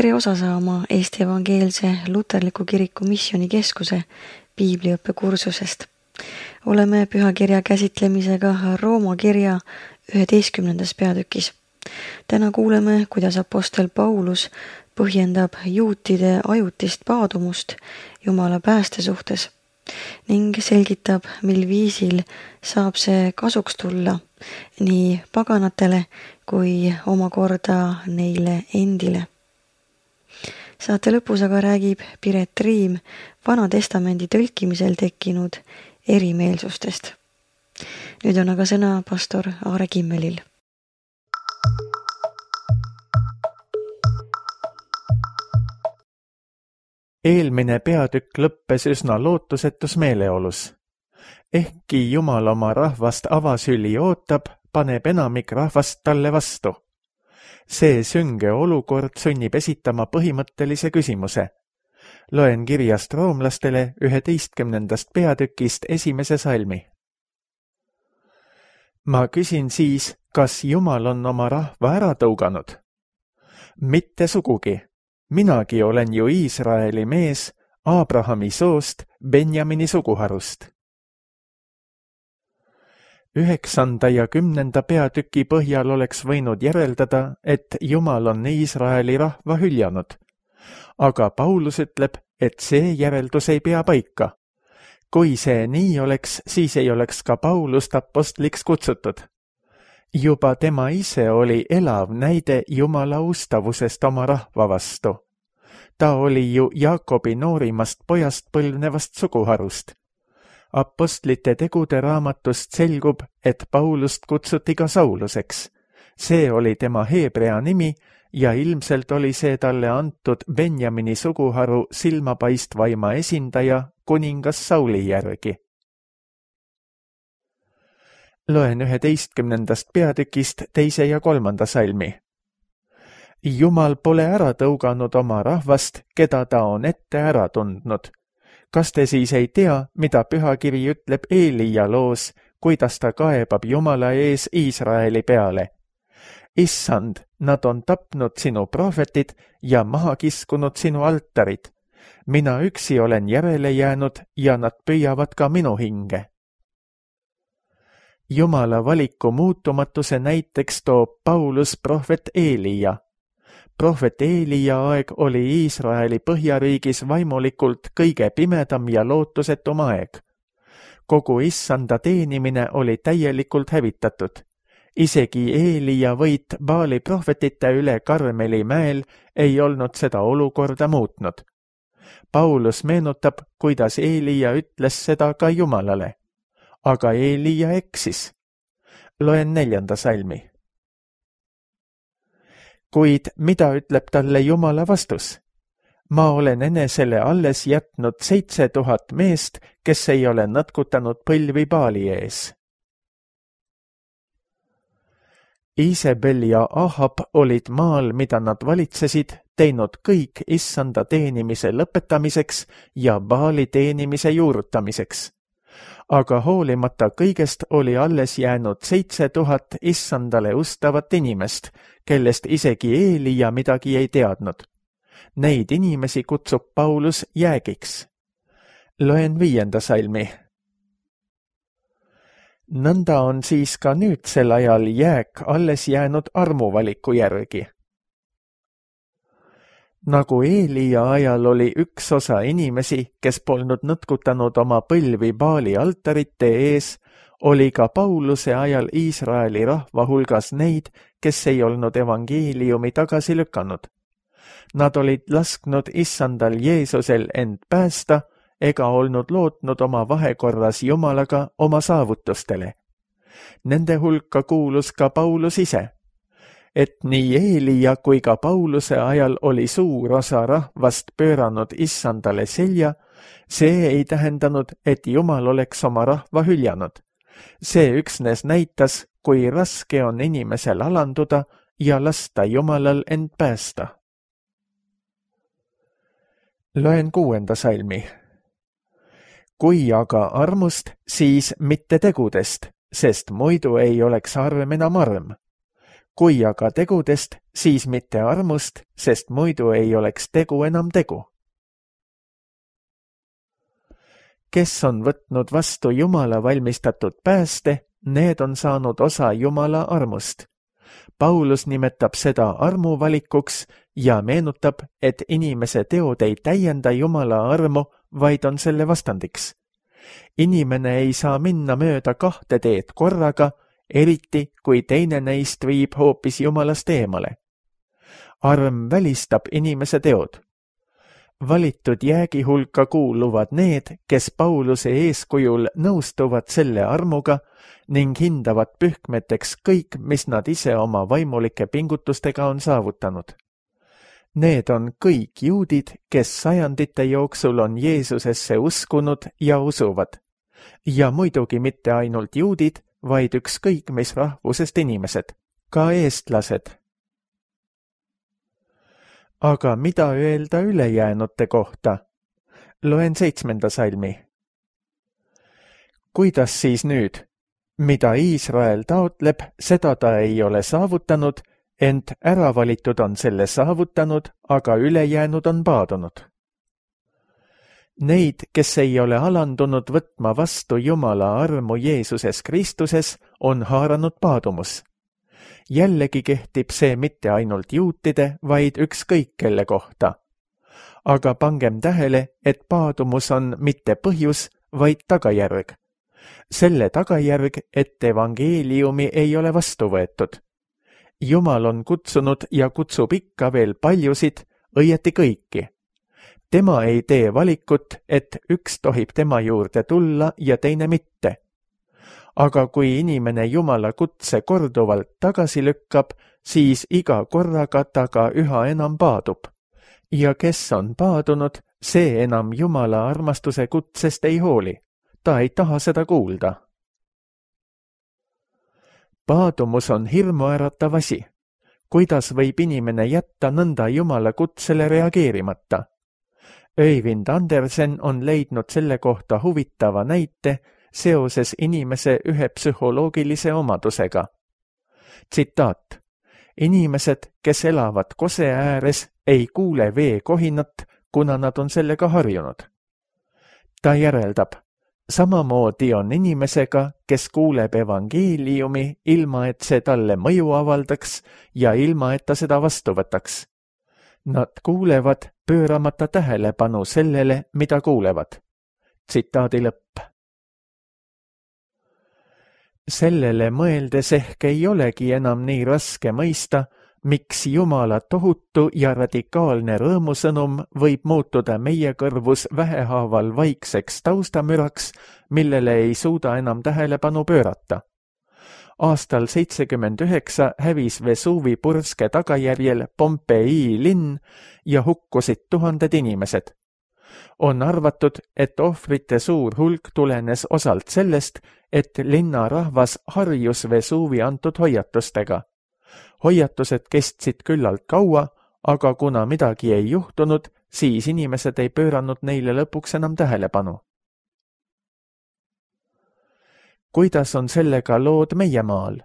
tere osa saama Eesti Evangeelse Luterliku Kiriku Missioonikeskuse piibliõppekursusest. Oleme pühakirja käsitlemisega Rooma kirja 11. peatükis. Täna kuuleme, kuidas apostel Paulus põhjendab juutide ajutist paadumust Jumala pääste suhtes ning selgitab, mil viisil saab see kasuks tulla nii paganatele kui omakorda neile endile. Saate lõpus aga räägib Piret Riim Vana Testamendi tõlkimisel tekkinud erimeelsustest. Nüüd on aga sõna pastor Aare Kimmelil. Eelmine peatükk lõppes üsna lootusetus meeleolus. Ehkki Jumal oma rahvast avasüli ootab, paneb enamik rahvast talle vastu. See sünge olukord sunnib esitama põhimõttelise küsimuse. Loen kirjast roomlastele 11. peatükist 1. salmi. Ma küsin siis, kas Jumal on oma rahva ära tõuganud? Mitte sugugi. Minagi olen ju Iisraeli mees, Abrahami soost, Benjamini suguharust. 9. ja 10. peatüki põhjal oleks võinud järeldada, et Jumal on Iisraeli rahva hüljanud. Aga Paulus ütleb, et see järeldus ei pea paika. Kui see nii oleks, siis ei oleks ka Paulust apostliks kutsutud. Juba tema ise oli elav näide Jumala ustavusest oma rahva vastu. Ta oli ju Jaakobi noorimast pojast põlvnevast suguharust. Apostlite tegude raamatust selgub, et Paulust kutsuti ka Sauluseks. See oli tema heebrea nimi ja ilmselt oli see talle antud Benjamini suguharu silmapaistvaima esindaja kuningas Sauli järgi. Loen 11. peatükist 2. ja 3. salmi. Jumal pole ära tõuganud oma rahvast, keda ta on ette ära tundnud. Kas te siis ei tea, mida pühakiri ütleb Eelija loos, kuidas ta kaebab Jumala ees Iisraeli peale? Issand, nad on tapnud sinu prohvetid ja maha kiskunud sinu altarid. Mina üksi olen järele jäänud ja nad püüavad ka minu hinge. Jumala valiku muutumatuse näiteks toob Paulus prohvet Eelija. Prohvet Eelija aeg oli Iisraeli põhjariigis vaimulikult kõige pimedam ja lootusetum aeg. Kogu issanda teenimine oli täielikult hävitatud. Isegi Eelija võit Baali prohvetite üle Karmeli mäel ei olnud seda olukorda muutnud. Paulus meenutab, kuidas Eelija ütles seda ka Jumalale. Aga Eelija eksis. Loen 4. salmi. Kuid mida ütleb talle Jumala vastus? Ma olen enesele alles jätnud 7000 meest, kes ei ole nõtkutanud põlvi Baali ees. Iisabel ja Ahab olid maal, mida nad valitsesid, teinud kõik issanda teenimise lõpetamiseks ja Baali teenimise juurutamiseks. Aga hoolimata kõigest oli alles jäänud 7000 issandale ustavat inimest, kellest isegi Eelija midagi ei teadnud. Neid inimesi kutsub Paulus jäägiks. Loen 5. salmi. Nõnda on siis ka nüüdsel ajal jääk alles jäänud armuvaliku järgi. Nagu Eelija ajal oli üks osa inimesi, kes polnud nõtkutanud oma põlvi Baali altarite ees, oli ka Pauluse ajal Iisraeli rahva hulgas neid, kes ei olnud evangeeliumi tagasi lükanud. Nad olid lasknud issandal Jeesusel end päästa ega olnud lootnud oma vahekorras Jumalaga oma saavutustele. Nende hulka kuulus ka Paulus ise. Et nii Eelija kui ka Pauluse ajal oli suur osa rahvast pööranud issandale selja, see ei tähendanud, et Jumal oleks oma rahva hüljanud. See üksnes näitas, kui raske on inimesel alanduda ja lasta Jumalal end päästa. Loen 6. salmi. Kui aga armust, siis mitte tegudest, sest muidu ei oleks arm enam arm. kui aga tegudest, siis mitte armust, sest muidu ei oleks tegu enam tegu. Kes on võtnud vastu Jumala valmistatud pääste, need on saanud osa Jumala armust. Paulus nimetab seda armuvalikuks ja meenutab, et inimese teod ei täienda Jumala armu, vaid on selle vastandiks. Inimene ei saa minna mööda 2 teed korraga, eriti kui teine neist viib hoopis Jumalast eemale. Arm välistab inimese teod. Valitud jäägi hulka kuuluvad need, kes Pauluse eeskujul nõustuvad selle armuga ning hindavad pühkmeteks kõik, mis nad ise oma vaimulike pingutustega on saavutanud. Need on kõik juudid, kes sajandite jooksul on Jeesusesse uskunud ja usuvad. Ja muidugi mitte ainult juudid, vaid ükskõik mis rahvusest inimesed, ka eestlased. Aga mida öelda ülejäänute kohta? Loen 7. salmi. Kuidas siis nüüd? Mida Iisrael taotleb, seda ta ei ole saavutanud, ent äravalitud on selle saavutanud, aga ülejäänud on paadunud. Neid, kes ei ole alandunud võtma vastu Jumala armu Jeesuses Kristuses, on haaranud paadumus. Jällegi kehtib see mitte ainult juutide, vaid ükskõik kelle kohta. Aga pangem tähele, et paadumus on mitte põhjus, vaid tagajärg. Selle tagajärg, et evangeeliumi ei ole vastu võetud. Jumal on kutsunud ja kutsub ikka veel paljusid, õieti kõiki. Tema ei tee valikut, et üks tohib tema juurde tulla ja teine mitte. Aga kui inimene Jumala kutse korduvalt tagasi lükkab, siis iga korraga ta ka üha enam paadub. Ja kes on paadunud, see enam Jumala armastuse kutsest ei hooli. Ta ei taha seda kuulda. Paadumus on hirmuäratav asi. Kuidas võib inimene jätta nõnda Jumala kutsele reageerimata? Øyvind Andersen on leidnud selle kohta huvitava näite seoses inimese ühe psühholoogilise omadusega. Tsitaat. Inimesed, kes elavad kose ääres, ei kuule vee kohinat, kuna nad on sellega harjunud. Ta järeldab. Samamoodi on inimesega, kes kuuleb evangeeliumi, ilma et see talle mõju avaldaks ja ilma et ta seda vastu võtaks. Nad kuulevad, pööramata tähelepanu sellele, mida kuulevad. Tsitaadi lõpp. Sellele mõeldes ehk ei olegi enam nii raske mõista, miks Jumala tohutu ja radikaalne rõõmusõnum võib muutuda meie kõrvus vähehaaval vaikseks taustamüraks, millele ei suuda enam tähelepanu pöörata. Aastal 79 hävis Vesuvi purske tagajärjel Pompei linn ja hukkusid 1000 inimesed. On arvatud, et ohvrite suur hulk tulenes osalt sellest, et linna rahvas harjus Vesuvi antud hoiatustega. Hoiatused kestsid küllalt kaua, aga kuna midagi ei juhtunud, siis inimesed ei pööranud neile lõpuks enam tähelepanu. Kuidas on sellega lood meie maal?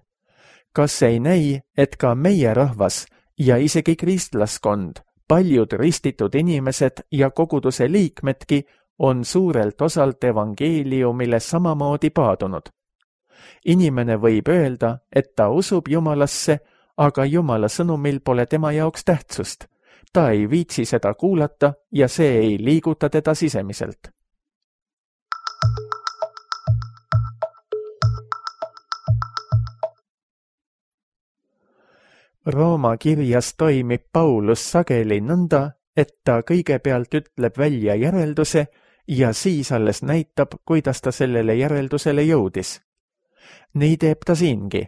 Kas ei näi, et ka meie rahvas ja isegi kristlaskond, paljud ristitud inimesed ja koguduse liikmedki on suurelt osalt evangeeliumile samamoodi paadunud? Inimene võib öelda, et ta usub Jumalasse, aga Jumala sõnumil pole tema jaoks tähtsust. Ta ei viitsi seda kuulata ja see ei liiguta teda sisemiselt. Rooma kirjas toimib Paulus sageli nõnda, et ta kõigepealt ütleb välja järelduse ja siis alles näitab, kuidas ta sellele järeldusele jõudis. Nii teeb ta siingi.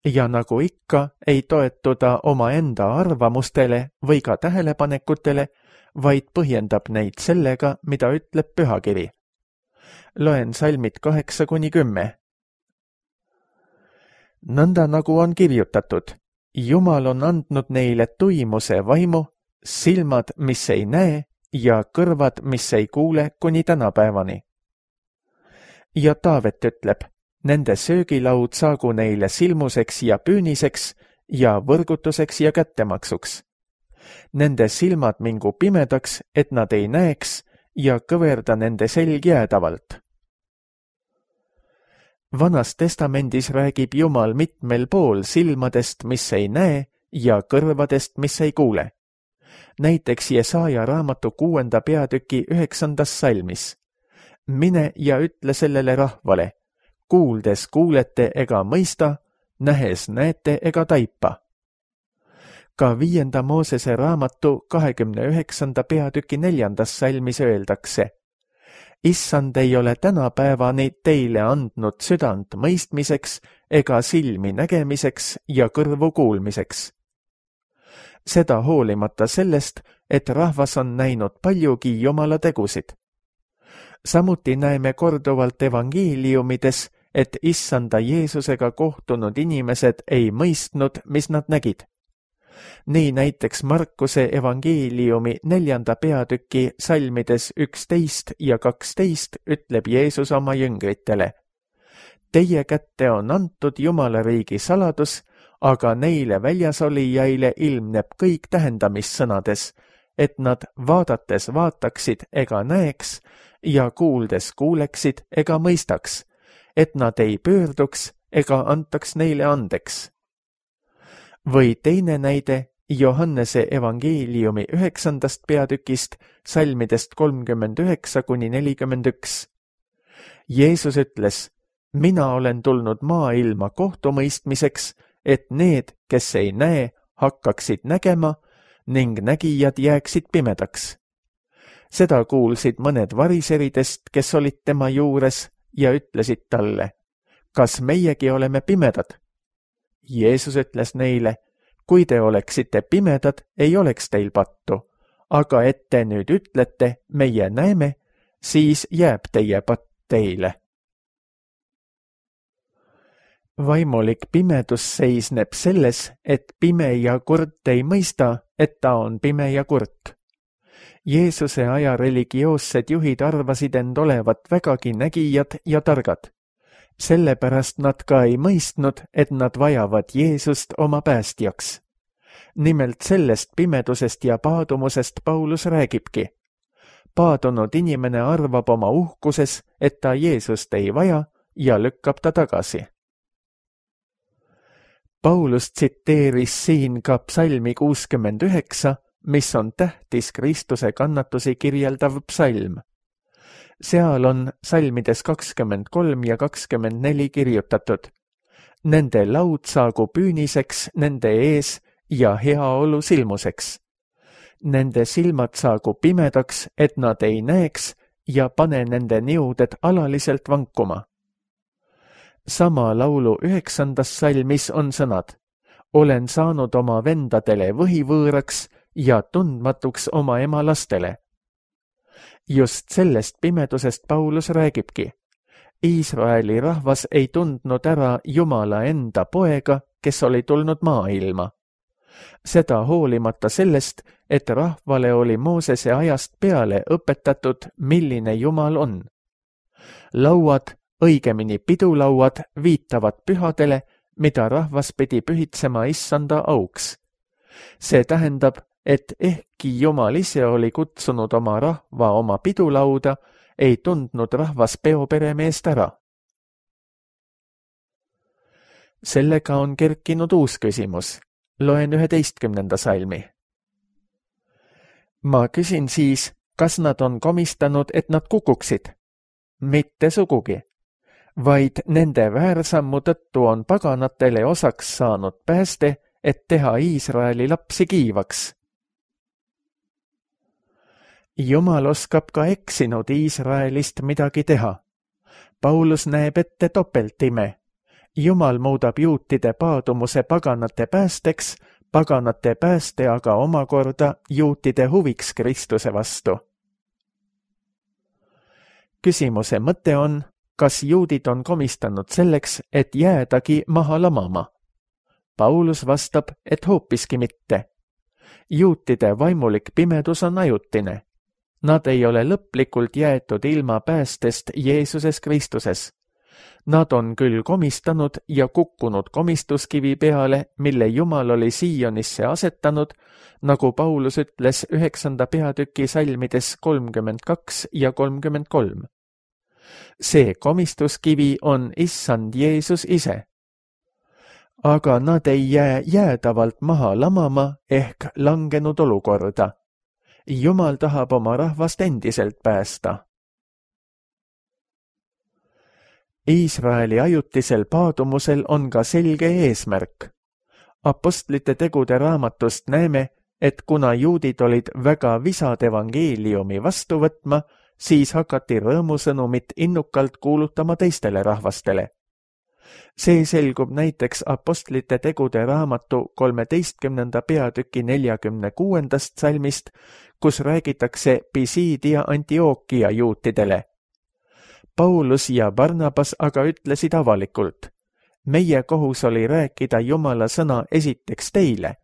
Ja nagu ikka, ei toetu ta omaenda arvamustele või ka tähelepanekutele, vaid põhjendab neid sellega, mida ütleb pühakiri. Loen salmid 8-10. Nõnda nagu on kirjutatud, Jumal on andnud neile tuimuse vaimu, silmad, mis ei näe, ja kõrvad, mis ei kuule kuni tänapäevani. Ja Taavet ütleb, nende söögilaud saagu neile silmuseks ja püüniseks ja võrgutuseks ja kättemaksuks. Nende silmad mingu pimedaks, et nad ei näeks ja kõverda nende selg jäädavalt. Vanas testamendis räägib Jumal mitmel pool silmadest, mis ei näe, ja kõrvadest, mis ei kuule. Näiteks Jesaja raamatu 6. peatüki 9. salmis. Mine ja ütle sellele rahvale, kuuldes kuulete ega mõista, nähes näete ega taipa. Ka 5. Moosese raamatu 29. peatüki 4. salmis öeldakse, Issand ei ole tänapäevani teile andnud südant mõistmiseks ega silmi nägemiseks ja kõrvu kuulmiseks. Seda hoolimata sellest, et rahvas on näinud paljugi Jumala tegusid. Samuti näeme korduvalt evangeeliumides, et Issanda Jeesusega kohtunud inimesed ei mõistnud, mis nad nägid. Nii näiteks Markuse evangeeliumi 4. peatüki salmides 11 ja 12 ütleb Jeesus oma jüngritele, Teie kätte on antud Jumala riigi saladus, aga neile väljasolijaile ilmneb kõik tähendamissõnades, et nad vaadates vaataksid ega näeks ja kuuldes kuuleksid ega mõistaks, et nad ei pöörduks ega antaks neile andeks. Või teine näide Johannese evangeeliumi 9. peatükist salmidest 39–41. Jeesus ütles, Mina olen tulnud maailma kohtumõistmiseks, et need, kes ei näe, hakkaksid nägema ning nägijad jääksid pimedaks. Seda kuulsid mõned variseridest, kes olid tema juures ja ütlesid talle, Kas meiegi oleme pimedad? Jeesus ütles neile, Kui te oleksite pimedad, ei oleks teil pattu, aga et te nüüd ütlete, meie näeme, siis jääb teie patt teile. Vaimulik pimedus seisneb selles, et pime ja kurt ei mõista, et ta on pime ja kurt. Jeesuse aja religioossed juhid arvasid end olevat vägagi nägijad ja targad. Sellepärast nad ka ei mõistnud, et nad vajavad Jeesust oma päästjaks. Nimelt sellest pimedusest ja paadumusest Paulus räägibki. Paadunud inimene arvab oma uhkuses, et ta Jeesust ei vaja ja lükkab ta tagasi. Paulus tsiteeris siin ka psalmi 69, mis on tähtis Kristuse kannatusi kirjeldav psalm. Seal on salmides 23 ja 24 kirjutatud. Nende laud saagu püüniseks nende ees ja heaolu silmuseks. Nende silmad saagu pimedaks, et nad ei näeks ja pane nende niuded alaliselt vankuma. Sama laulu 9. salmis on sõnad. Olen saanud oma vendadele võhivõõraks ja tundmatuks oma ema lastele. Just sellest pimedusest Paulus räägibki. Iisraeli rahvas ei tundnud ära Jumala enda poega, kes oli tulnud maailma. Seda hoolimata sellest, et rahvale oli Moosese ajast peale õpetatud, milline Jumal on. Lauad, õigemini pidulauad, viitavad pühadele, mida rahvas pidi pühitsema Issanda auks. See tähendab, et ehkki Jumal ise oli kutsunud oma rahva oma pidulauda, ei tundnud rahvas peoperemeest ära. Sellega on kerkinud uus küsimus. Loen 11. salmi. Ma küsin siis, kas nad on komistanud, et nad kukuksid? Mitte sugugi, vaid nende väärsammu tõttu on paganatele osaks saanud pääste, et teha Iisraeli lapsi kiivaks. Jumal oskab ka eksinud Iisraelist midagi teha. Paulus näeb ette topeltime. Jumal muudab juutide paadumuse paganate päästeks, paganate pääste aga omakorda juutide huviks Kristuse vastu. Küsimuse mõte on, kas juudid on komistanud selleks, et jäädagi maha lamama? Paulus vastab, et hoopiski mitte. Juutide vaimulik pimedus on ajutine. Nad ei ole lõplikult jäetud ilma päästest Jeesuses Kristuses. Nad on küll komistanud ja kukkunud komistuskivi peale, mille Jumal oli Siionisse asetanud, nagu Paulus ütles 9. peatüki salmides 32 ja 33. See komistuskivi on issand Jeesus ise. Aga nad ei jää jäädavalt maha lamama ehk langenud olukorda. Jumal tahab oma rahvast endiselt päästa. Iisraeli ajutisel paadumusel on ka selge eesmärk. Apostlite tegude raamatust näeme, et kuna juudid olid väga visad evangeeliumi vastu võtma, siis hakati rõõmusõnumit innukalt kuulutama teistele rahvastele. See selgub näiteks Apostlite tegude raamatu 13. peatüki 46. salmist, kus räägitakse Pisiidia Antiookia juutidele. Paulus ja Barnabas aga ütlesid avalikult: meie kohus oli rääkida Jumala sõna esiteks teile,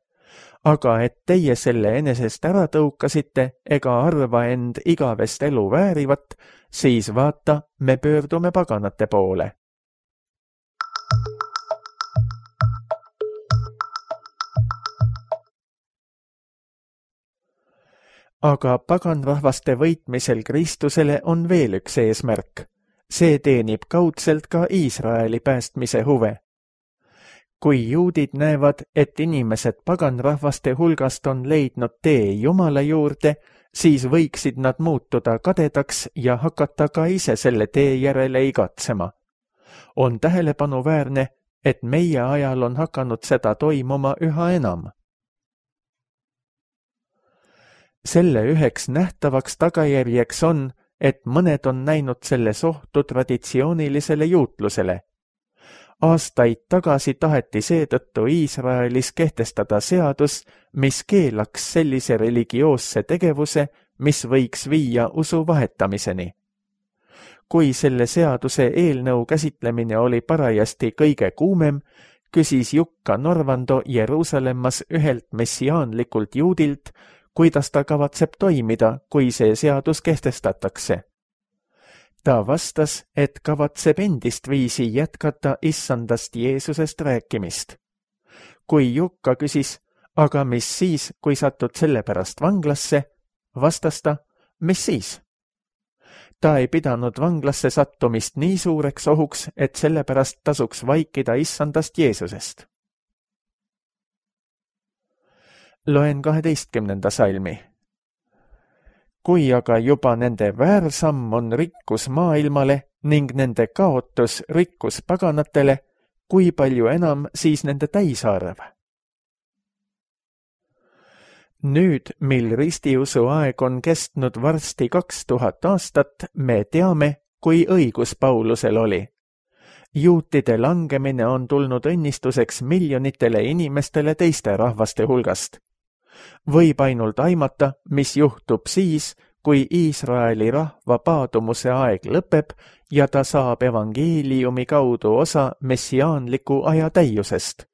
aga et teie selle enesest ära tõukasite ega arva end igavest elu väärivat, siis vaata, me pöördume paganate poole. Aga paganrahvaste võitmisel Kristusele on veel üks eesmärk. See teenib kaudselt ka Iisraeli päästmise huve. Kui juudid näevad, et inimesed paganrahvaste hulgast on leidnud tee Jumala juurde, siis võiksid nad muutuda kadedaks ja hakata ka ise selle tee järele igatsema. On tähelepanuväärne, et meie ajal on hakanud seda toimuma üha enam. Selle üheks nähtavaks tagajärjeks on, et mõned on näinud selles ohtu traditsioonilisele juutlusele. Aastaid tagasi taheti seetõttu Iisraelis kehtestada seadus, mis keelaks sellise religioosse tegevuse, mis võiks viia usu vahetamiseni. Kui selle seaduse eelnõu käsitlemine oli parajasti kõige kuumem, küsis Jukka Norvando Jeruusalemmas ühelt messiaanlikult juudilt, kuidas ta kavatseb toimida, kui see seadus kehtestatakse. Ta vastas, et kavatseb endist viisi jätkata issandast Jeesusest rääkimist. Kui Jukka küsis, aga mis siis, kui satud selle pärast vanglasse, vastas ta, mis siis? Ta ei pidanud vanglasse sattumist nii suureks ohuks, et selle pärast tasuks vaikida issandast Jeesusest. Loen 12. salmi. Kui aga juba nende väärsamm on rikkus maailmale ning nende kaotus rikkus paganatele, kui palju enam siis nende täisarv? Nüüd, mil ristiusu aeg on kestnud varsti 2000 aastat, me teame, kui õigus Paulusel oli. Juutide langemine on tulnud õnnistuseks miljonitele inimestele teiste rahvaste hulgast. Võib ainult aimata, mis juhtub siis, kui Iisraeli rahva paadumuse aeg lõpeb ja ta saab evangeeliumi kaudu osa messiaanliku aja täiusest.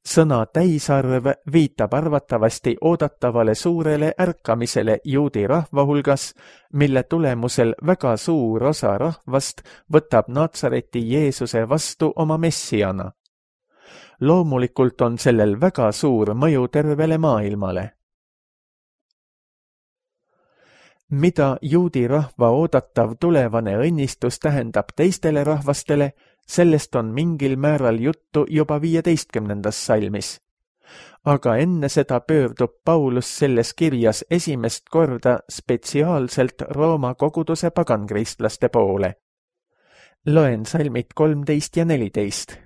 Sõna täisarv viitab arvatavasti oodatavale suurele ärkamisele juudi rahva hulgas, mille tulemusel väga suur osa rahvast võtab Natsareti Jeesuse vastu oma messiana. Loomulikult on sellel väga suur mõju tervele maailmale. Mida juudi rahva oodatav tulevane õnnistus tähendab teistele rahvastele, sellest on mingil määral juttu juba 15. salmis. Aga enne seda pöördub Paulus selles kirjas esimest korda spetsiaalselt Rooma koguduse pagankristlaste poole. Loen salmid 13 ja 14.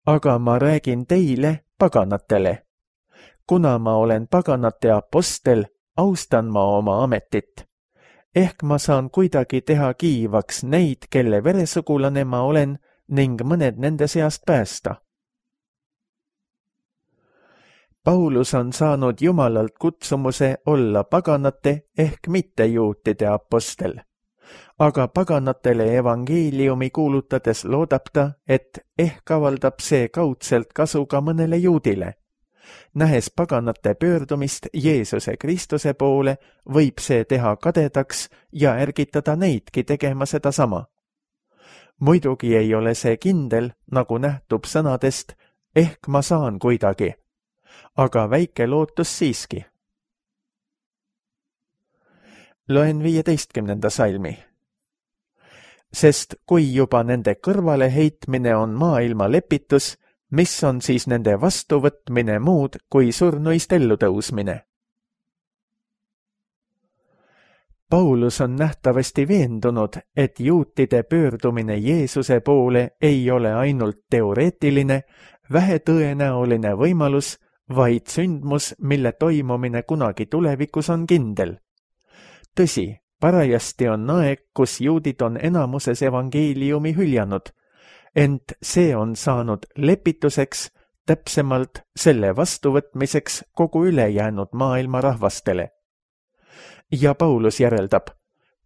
Aga ma räägin teile, paganatele. Kuna ma olen paganate apostel, austan ma oma ametit. Ehk ma saan kuidagi teha kiivaks neid, kelle veresugulane ma olen, ning mõned nende seast päästa. Paulus on saanud Jumalalt kutsumuse olla paganate ehk mittejuutide apostel. Aga paganatele evangeeliumi kuulutades loodab ta, et ehk avaldab see kaudselt kasu ka mõnele juudile. Nähes paganate pöördumist Jeesuse Kristuse poole, võib see teha kadedaks ja ärgitada neidki tegema sedasama. Muidugi ei ole see kindel, nagu nähtub sõnadest, ehk ma saan kuidagi, aga väike lootus siiski. Loen 15. salmi. Sest kui juba nende kõrvale heitmine on maailma lepitus, mis on siis nende vastuvõtmine muud kui surnuist ellu tõusmine? Paulus on nähtavasti veendunud, et juutide pöördumine Jeesuse poole ei ole ainult teoreetiline, vähetõenäoline võimalus, vaid sündmus, mille toimumine kunagi tulevikus on kindel. Tõsi, parajasti on aeg, kus juudid on enamuses evangeeliumi hüljanud, ent see on saanud lepituseks, täpsemalt selle vastuvõtmiseks kogu ülejäänud maailma rahvastele. Ja Paulus järeldab,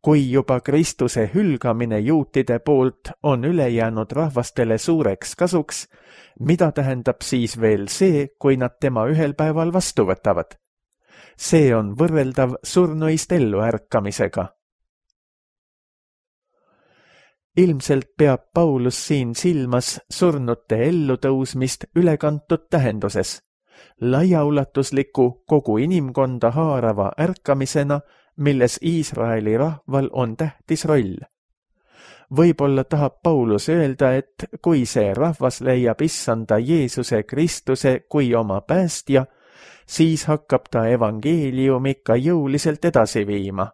kui juba Kristuse hülgamine juutide poolt on ülejäänud rahvastele suureks kasuks, mida tähendab siis veel see, kui nad tema ühel päeval vastu võtavad? See on võrreldav surnuist ellu ärkamisega. Ilmselt peab Paulus siin silmas surnute ellutõusmist ülekantud tähenduses, laiaulatusliku kogu inimkonda haarava ärkamisena, milles Iisraeli rahval on tähtis roll. Võib-olla tahab Paulus öelda, et kui see rahvas leiab issanda Jeesuse Kristuse kui oma päästja, siis hakkab ta evangeeliumi ka jõuliselt edasi viima.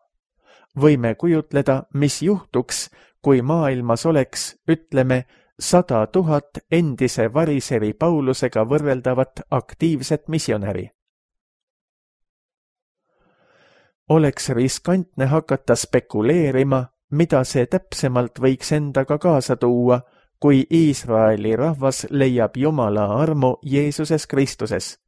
Võime kujutleda, mis juhtuks, kui maailmas oleks, ütleme, 100 000 endise variseri Paulusega võrreldavat aktiivset missionäri. Oleks riskantne hakata spekuleerima, mida see täpsemalt võiks endaga kaasa tuua, kui Iisraeli rahvas leiab Jumala armu Jeesuses Kristuses.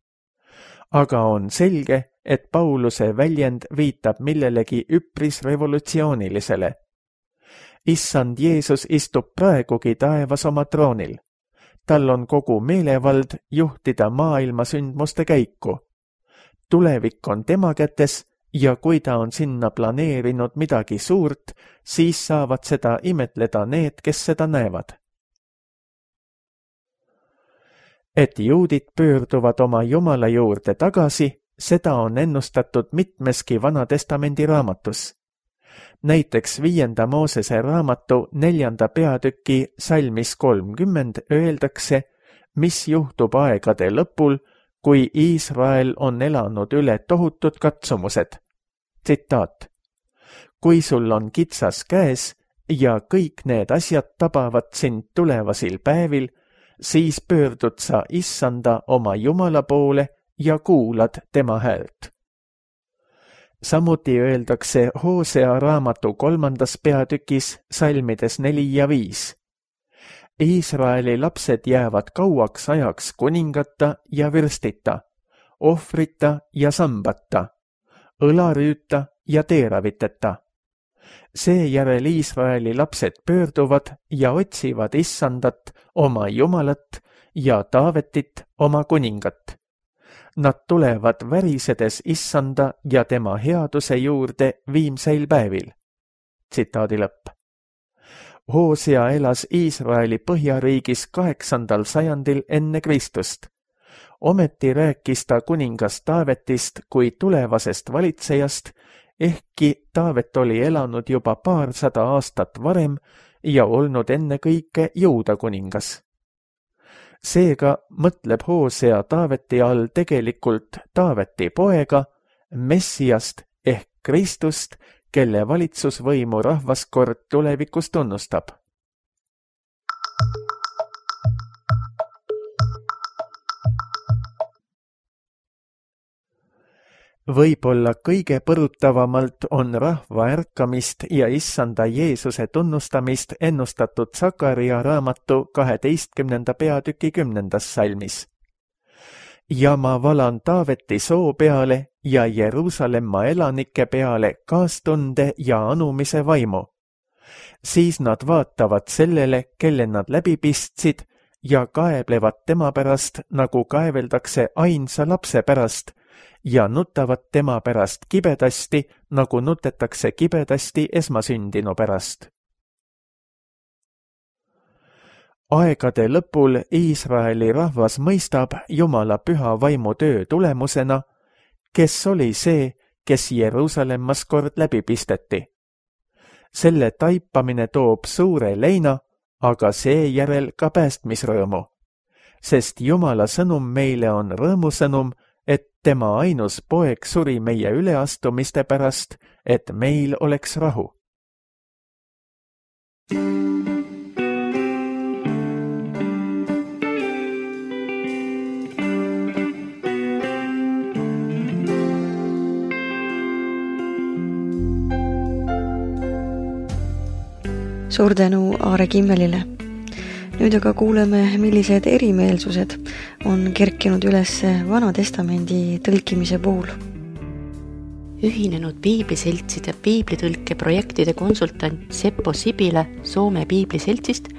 Aga on selge, et Pauluse väljend viitab millelegi üpris revolutsioonilisele. Issand Jeesus istub praegugi taevas oma troonil. Tal on kogu meelevald juhtida maailma sündmuste käiku. Tulevik on tema kätes ja kui ta on sinna planeerinud midagi suurt, siis saavad seda imetleda need, kes seda näevad. Et juudid pöörduvad oma Jumala juurde tagasi, seda on ennustatud mitmeski Vanatestamendi raamatus. Näiteks 5. Moosese raamatu 4. peatüki salmis 30 öeldakse, mis juhtub aegade lõpul, kui Iisrael on elanud üle tohutud katsumused. Tsitaat. Kui sul on kitsas käes ja kõik need asjad tabavad sind tulevasil päevil, siis pöördud sa issanda oma Jumala poole ja kuulad tema häält. Samuti öeldakse Hosea raamatu 3. peatükis salmides 4 ja 5. Iisraeli lapsed jäävad kauaks ajaks kuningata ja vürstita, ohvrita ja sambata, õlarüüta ja teeraviteta. Seejärel Iisraeli lapsed pöörduvad ja otsivad issandat, oma Jumalat ja Taavetit, oma kuningat. Nad tulevad värisedes issanda ja tema headuse juurde viimseil päevil. Tsitaadi lõpp. Hosea elas Iisraeli põhjariigis 8. sajandil enne Kristust. Ometi rääkis ta kuningas Taavetist kui tulevasest valitsejast, ehkki Taavet oli elanud juba 200 aastat varem ja olnud ennekõike Juuda kuningas. Seega mõtleb Hosea Taaveti all tegelikult Taaveti poega, Messiast ehk Kristust, kelle valitsusvõimu rahvaskord tulevikus tunnustab. Võib-olla kõige põrutavamalt on rahva ärkamist ja issanda Jeesuse tunnustamist ennustatud Sakaria raamatu 12. peatüki 10. salmis. Ja ma valan Taaveti soo peale ja Jeruusalemma elanike peale kaastunde ja anumise vaimu. Siis nad vaatavad sellele, kelle nad läbi pistsid ja kaeblevad tema pärast, nagu kaeveldakse ainsa lapse pärast, ja nutavad tema pärast kibedasti, nagu nutetakse kibedasti esmasündinu pärast. Aegade lõpul Iisraeli rahvas mõistab Jumala püha vaimu töö tulemusena, kes oli see, kes Jeruusalemmas kord läbi pisteti. Selle taipamine toob suure leina, aga seejärel ka päästmisrõõmu, sest Jumala sõnum meile on rõõmusõnum, et tema ainus poeg suri meie üleastumiste pärast, et meil oleks rahu. Suur tänu Aare Kimmelile. Nüüd aga kuuleme, millised erimeelsused on kerkinud üles Vana Testamendi tõlkimise puhul. Ühinenud piibliseltside piiblitõlke projektide konsultant Seppo Sibile Soome piibliseltsist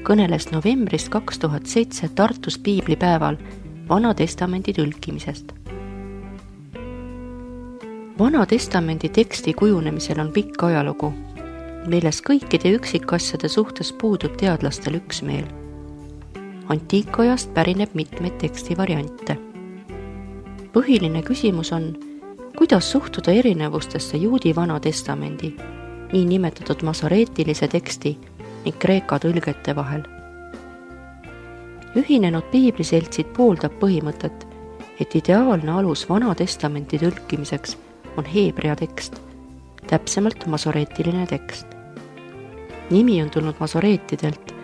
kõneles novembrist 2007 Tartus piiblipäeval Vana Testamendi tõlkimisest. Vana Testamendi teksti kujunemisel on pikk ajalugu, milles kõikide üksikasjade suhtes puudub teadlastel üksmeel. Antiikajast pärineb mitmeid tekstivariante. Põhiline küsimus on, kuidas suhtuda erinevustesse juudi Vana Testamendi, nii nimetatud masoreetilise teksti ning kreeka tõlgete vahel. Ühinenud piibliseltsid pooldab põhimõtet, et ideaalne alus Vana Testamenti tõlkimiseks on heebrea tekst, täpsemalt masoreetiline tekst. Nimi on tulnud masoreetidelt,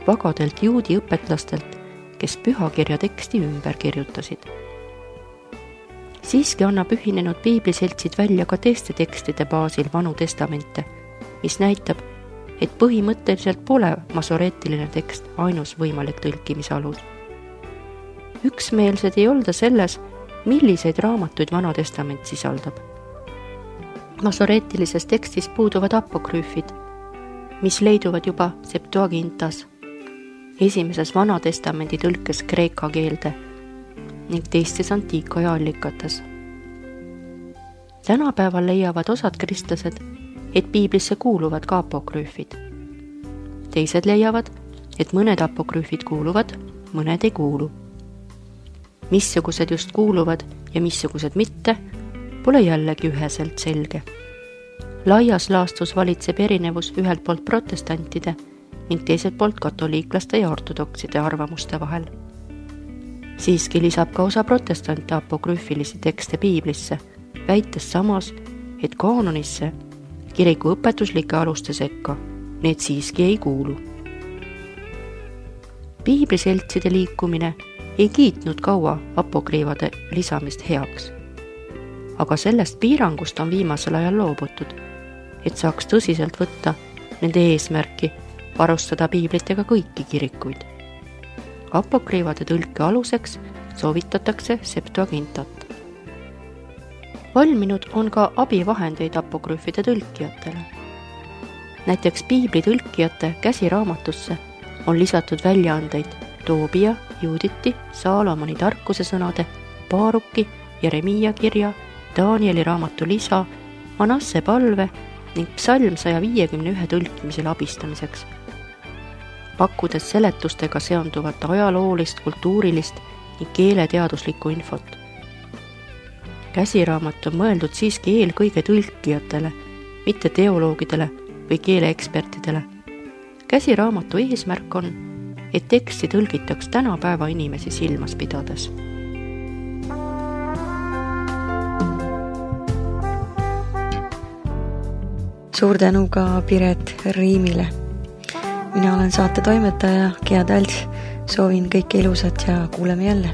vagadelt juudi õpetlastelt, kes pühakirja teksti ümber kirjutasid. Siiski annab ühinenud piibliseltsid välja ka teiste tekstide baasil Vanu Testamente, mis näitab, et põhimõtteliselt pole masoreetiline tekst ainus võimalik tõlkimise alus. Üksmeelsed ei olda selles, milliseid raamatuid Vana Testament sisaldab. Masoreetilises tekstis puuduvad apokrüüfid, mis leiduvad juba Septuagintas, esimeses Vana Testamendi tõlkes kreeka keelde ning teistes antiikaja allikates. Tänapäeval leiavad osad kristlased, et piiblisse kuuluvad ka apokrüüfid. Teised leiavad, et mõned apokrüüfid kuuluvad, mõned ei kuulu. Missugused just kuuluvad ja missugused mitte, pole jällegi üheselt selge. Laias laastus valitseb erinevus ühelt poolt protestantide ning teiselt poolt katoliiklaste ja ortodokside arvamuste vahel. Siiski lisab ka osa protestante apokrüüfilisi tekste piiblisse, väites samas, et kaanonisse, kiriku õpetuslike aluste sekka, need siiski ei kuulu. Piibliseltside liikumine ei kiitnud kaua apokrüüfide lisamist heaks, aga sellest piirangust on viimasel ajal loobutud, et saaks tõsiselt võtta nende eesmärki varustada piiblitega kõiki kirikuid. Apokrüüfide tõlke aluseks soovitatakse Septuagintat. Valminud on ka abivahendeid apokrüüfide tõlkijatele. Näiteks piibli tõlkijate käsiraamatusse on lisatud väljaandeid Toobia, Juuditi, Saalomoni tarkuse sõnade, Baaruki, Jeremiia kirja, Danieli raamatu lisa, Manasse palve ning psalm 151 tõlkimisel abistamiseks, pakkudes seletustega seonduvat ajaloolist, kultuurilist ning keeleteaduslikku infot. Käsiraamat on mõeldud siiski eelkõige tõlkijatele, mitte teoloogidele või keeleekspertidele. Käsiraamatu eesmärk on, et teksti tõlgitaks tänapäeva inimesi silmas pidades. Suur tänu ka Piret Riimile. Mina olen saate toimetaja Gea Talts. Soovin kõike ilusat ja kuuleme jälle.